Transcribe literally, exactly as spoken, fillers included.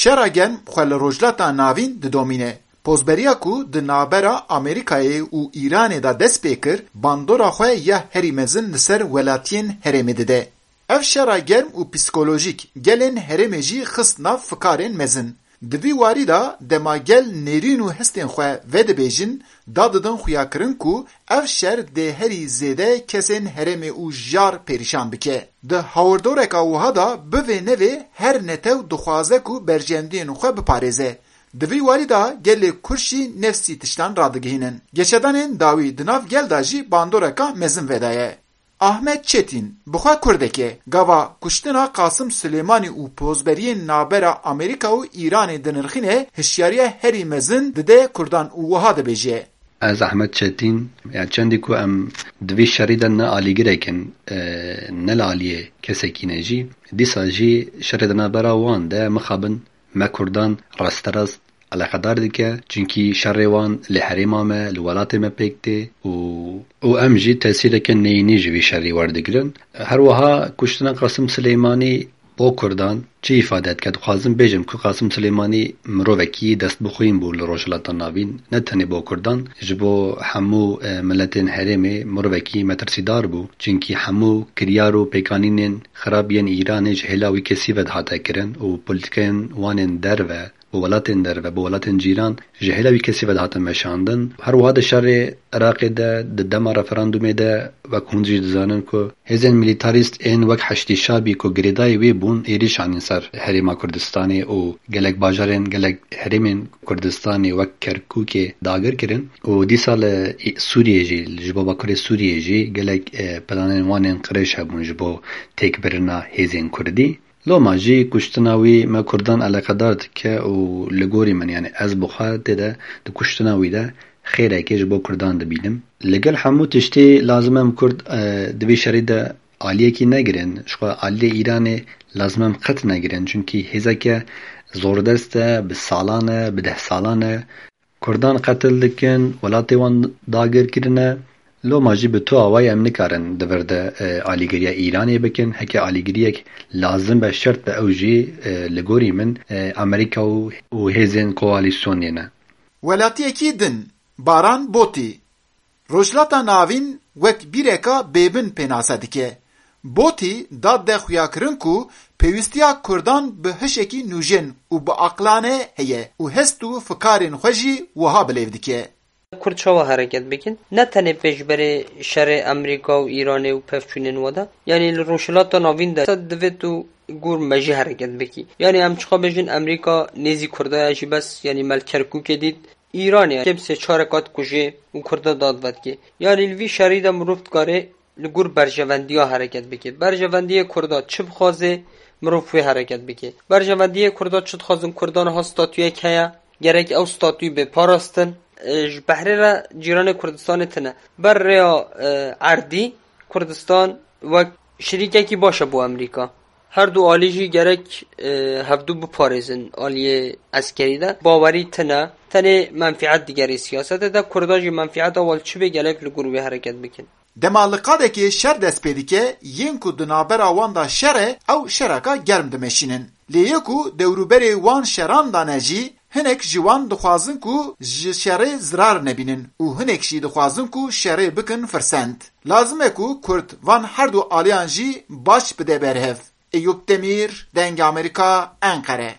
Şera germ xwe li Rojhilata Navîn didomîne. Pozberiya ku di navbera Amerîkayê û Îranê de dest pê kir, bandora xwe ya herî mezin li ser welatiyên herêmê dide. Ev şera germ û psîkolojîk gelên herêmê jî xist nav fikarên mezin. Di vî warî de dema gel nêrîn û hestên xwe vedibêjin, dadidin xuyakirin ku ev şer dê herî zêde kesên herêmê û jar perîşan bike. Di hawirdoreka wiha de bivê nevê her netew dixwaze ku berjewendiyên xwe biparêze. Di vî warî de gelê Kurd jî nefsî tiştan radigihînin. Geşedanên dawî di nav gel de jî bandoreka mezin vedaye. Ahmet Çetîn, bi xwe Kurdek e, gava kuştina Qasim Silêmanî û pozberiyên navbera Amerîka û Îranê dinirxîne, hişyariya herî mezin dide Kurdan û wiha dibêje. Ez Ahmet Çetîn, ya çendî ku em di vî şerî de ne alîgirek in, e, ne li aliyê kesekî ne jî, dîsa jî şerê di navbera wan de mixabin me Kurdan rasterast eleqedar dike, çunkî şerê wan li herêma me, li welatê me pêk tê û, û em jî tesîreke neyînî ji vî şerî werdigirin. Her wiha kuştina Qasim Silêmanî bo Kurdan çi îfade dike? Dixwazim bêjim ku Qasim Silêmanî mirovekî destbixwîn bû li Rojhilata Navîn, ne tenê bo Kurdan, ji bo hemû, e, miletên herêmê mirovekî metirsîdar bû. Çunkî hemû kiryar û pêkanînên xirab yên Îranê ji hêla wî kesî ve dihate kirin û polîtîkayên wan ên derve, bi welatên derve, bi welatên cîran ji hêla wî kesî ve dihate meşandin. Her wiha di şerê Iraqê de, di dema referandumê de, wek hûn jî dizanin ku hêzên milîtarîst ên wek Heşdî Şabî ku girêdayî wê bûn, êrîş anîn ser Herêma Kurdistanê û gelek bajarên, gelek herêmên Kurdistanê wek Kerkûkê dagir kirin û dîsa li Sûriyê jî, ji bo Bakurê Sûriyê jî gelek, e, planên wan ên qirêj hebûn ji bo têkbirina hêzên Kurdî. Loma jî kuştina wî me Kurdan eleqedar dike û li gorî min, yani ez bi xwe tê de di kuştina wî de xêrekê ji bo Kurdan dibînim. Li gel hemû tiştî lazim em Kurd, e, di vî şerî de aliyekî negirin. Ji xwe aliyê Îranê lazim em qet negirin. Çunkî hêzeke zordest e, bi salan e, bi deh salan e. Kurdan qetil dikin, welatê wan dagir kirine. Loma jî bi tu awayî em nikarin di vir de, e, alîgiriya Îranê bikin. Heke alîgiriyek lazim be, şert be, ew jî, e, li gorî min, e, Amerîka û, û hêzên koalîsyonê ne. Welatiyekî din, Baran Botî, Rojhilata Navîn wek bîreka bêbin pênase dike. Botî dad de xuyakirin ku pêwîstiya Kurdan bi hişekî nûjen û bi aqlane heye û hest û fikarên xwe jî wiha bilêv dike. Kurd çawa hereket bikin? Ne tenê pêşberê şerê Amerîka û Îranê û pevçûnên we de. Yanî li Rojhilata Navîn de divê tu gor me jî hereket bikî. Yanî em çiqa bêjin Amerîka nêzî Kurda ye jî bes, yanî me li Kerkûkê dît. Îranê kêm sê çar kat kujê û Kurda dad vedikê. Yanî li vî şerî de mirov dikare li gor berjevendiya hereket bike. Berjevendiyê Kurda çi bixwaze, mirov wê hereket bike. Berjevendiyê Kurda çi dixwazin? Kurda niha statuyek heye, gerek ew statûyî bê parastin. E, ji behrê re cîranê Kurdistanê tine. Ber rêya, e, erdî Kurdistan wek şirîkekî baş e bo Amerîka. Her du alî jî gerek, e, hevdu biparêzin aliyê eskerî de. Bawerî tine. Tenê menfîet digerê siyasetê de. Kurda jî menfîeta wan çi bê gerek li gor wê hereket bikin. Dema li qadekê şer dest pê dike, yên ku di navbera wan de şer e, ew şereka germ dimeşînin. Lê yê ku dewrûberê wan şeran de ne jî, hinek ji wan dixwazin ku ji şerê zirar nebînin û hinek jî dixwazin ku şerê bikin firsend. Lazim e ku Kurd van her du aliyan jî baş bide berhev. Eyûp Demîr, Dengê Amerîka, Enqere.